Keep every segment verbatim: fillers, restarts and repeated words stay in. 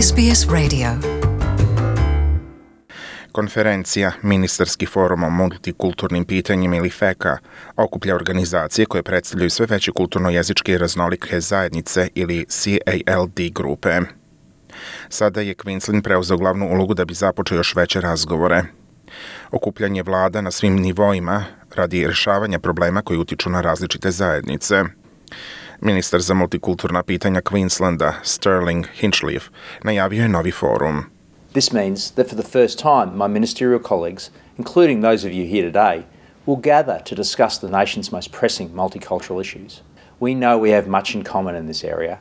S B S Radio. Konferencija Ministarski forum o multikulturnim pitanjima ili FECA okuplja organizacije koje predstavljaju sve veće kulturno-jezičke i raznolike zajednice ili C A L D grupe. Sada je Queensland preuzeo glavnu ulogu da bi započeo još veće razgovore. Okupljanje vlada na svim nivoima radi rješavanja problema koji utiču na različite zajednice. Ministar za multikulturna pitanja Queenslanda, Sterling Hinchliffe, najavio je novi forum. This means that for the first time, my ministerial colleagues, including those of you here today, will gather to discuss the nation's most pressing multicultural issues. We know we have much in common in this area.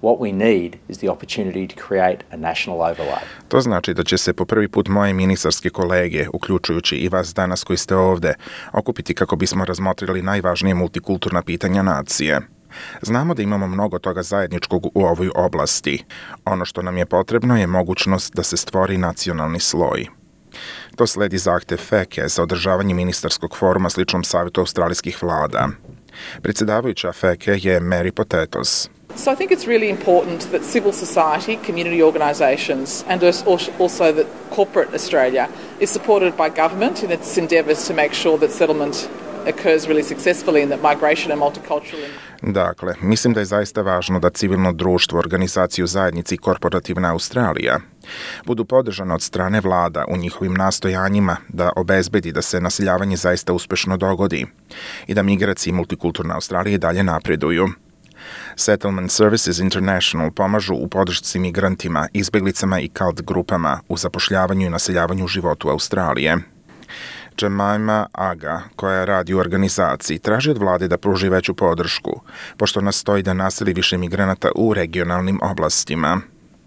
What we need is the opportunity to create a national overlay. To znači da će se po prvi put moje ministarske kolege, uključujući i vas danas koji ste ovde, okupiti kako bismo razmotrili najvažnije multikulturna pitanja nacije. Znamo da imamo mnogo toga zajedničkog u ovoj oblasti. Ono što nam je potrebno je mogućnost da se stvori nacionalni sloj. To sledi zahtev FECA za održavanje ministarskog foruma sličnom savjetu australijskih vlada. Predsjedavajuća FECA je Mary Potatoes. So I think it's really important that civil society, community organisations and also that corporate Australia is supported by government in its endeavours to make sure that settlement occurs really successfully and that migration and multicultural... Dakle, mislim da je zaista važno da civilno društvo, organizaciju zajednici i korporativna Australija budu podržane od strane vlada u njihovim nastojanjima da obezbedi da se naseljavanje zaista uspešno dogodi i da migracije i multikulturna Australija i dalje napreduju. Settlement Services International pomažu u podršci migrantima, izbjeglicama i cult grupama u zapošljavanju i naseljavanju u životu Australije. Jemima Aga, koja radi u organizaciji, traži od vlade da pruži veću podršku, pošto nastoji da naseli više migranata u regionalnim oblastima.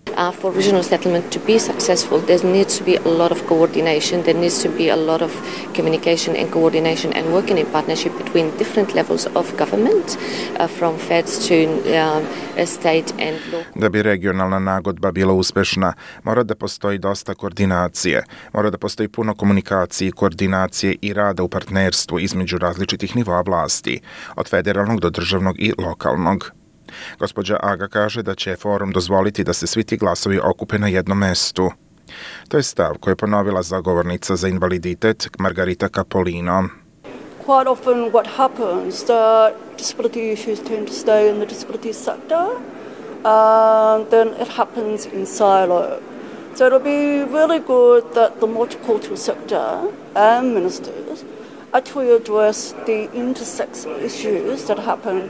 Uh, for regional settlement to be successful, there needs to be a lot of coordination, there needs to be a lot of communication and coordination and working in partnership between different levels of government, uh, from feds to uh, state and local. Da bi regionalna nagodba bila uspešna, mora da postoji dosta koordinacije, mora da postoji puno komunikacije, koordinacije i rada u partnerstvu između različitih nivoa vlasti, od federalnog do državnog i lokalnog. Gospođa Aga kaže da će forum dozvoliti da se svi ti glasovi okupe na jednom mestu. To je stav koji je ponovila zagovornica za invaliditet Margarita Capolino. Quite often what happens, the disability issues tend to stay in the disability sector, and then it happens in silo. So it'll be really good that the multicultural sector and ministers actually address the intersex issues that happen.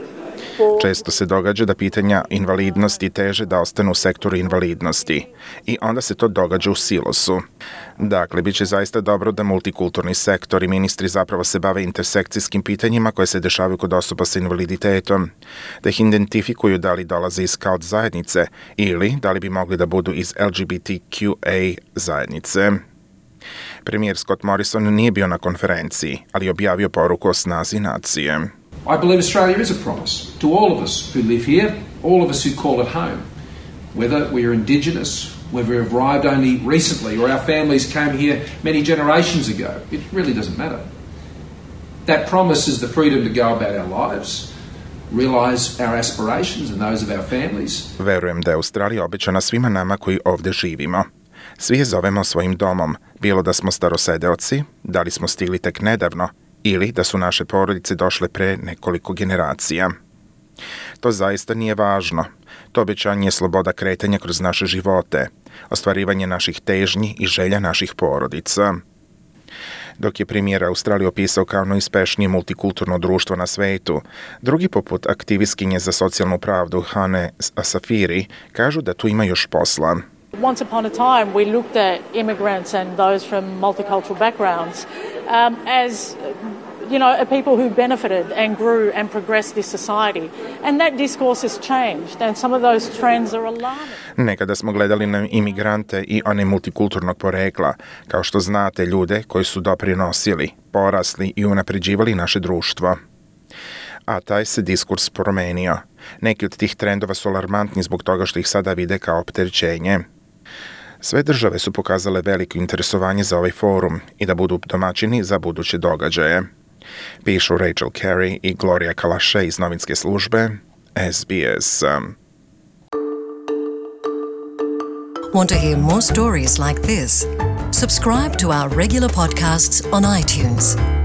Često se događa da pitanja invalidnosti teže da ostanu u sektoru invalidnosti i onda se to događa u silosu. Dakle, bit će zaista dobro da multikulturni sektor i ministri zapravo se bave intersekcijskim pitanjima koje se dešavaju kod osoba sa invaliditetom, da ih identifikuju da li dolaze iz cult zajednice ili da li bi mogli da budu iz L G B T Q A zajednice. Premijer Scott Morrison nije bio na konferenciji, ali je objavio poruku o snazi nacije. I believe Australia is a promise to all of us who live here, all of us who call it home. Whether we are Indigenous, whether we have arrived only recently or our families came here many generations ago, it really doesn't matter. That promise is the freedom to go about our lives, realise our aspirations and those of our families. Verujem da je Australija obećana svima nama koji ovdje živimo. Svi je zovemo svojim domom, bilo da smo starosedeoci, da li smo stigli tek nedavno, ili da su naše porodice došle pre nekoliko generacija. To zaista nije važno. To obećanje je sloboda kretanja kroz naše živote, ostvarivanje naših težnji i želja naših porodica. Dok je premijer Australije opisao kao najuspešnije multikulturno društvo na svetu, drugi poput aktivistkinje za socijalnu pravdu Hane Asafiri kažu da tu ima još posla. Once upon a time we looked at immigrants and those from multicultural backgrounds um, as you know, a people who benefited and grew and progressed this society. And that discourse has changed and some of those trends are alarming. Nekada smo gledali na imigrante i one multikulturnog porekla, kao što znate, ljude koji su doprinosili, porasli i unapređivali naše društvo. A taj se diskurs promenio. Neki od tih trendova su alarmantni zbog toga što ih sada vide kao opterećenje. Sve države su pokazale veliko interesovanje za ovaj forum i da budu domaćini za buduće događaje. Pišu Rachel Carey i Gloria Kalaše iz novinske službe S B S. Want to hear more stories like this? Subscribe to our regular podcasts on iTunes.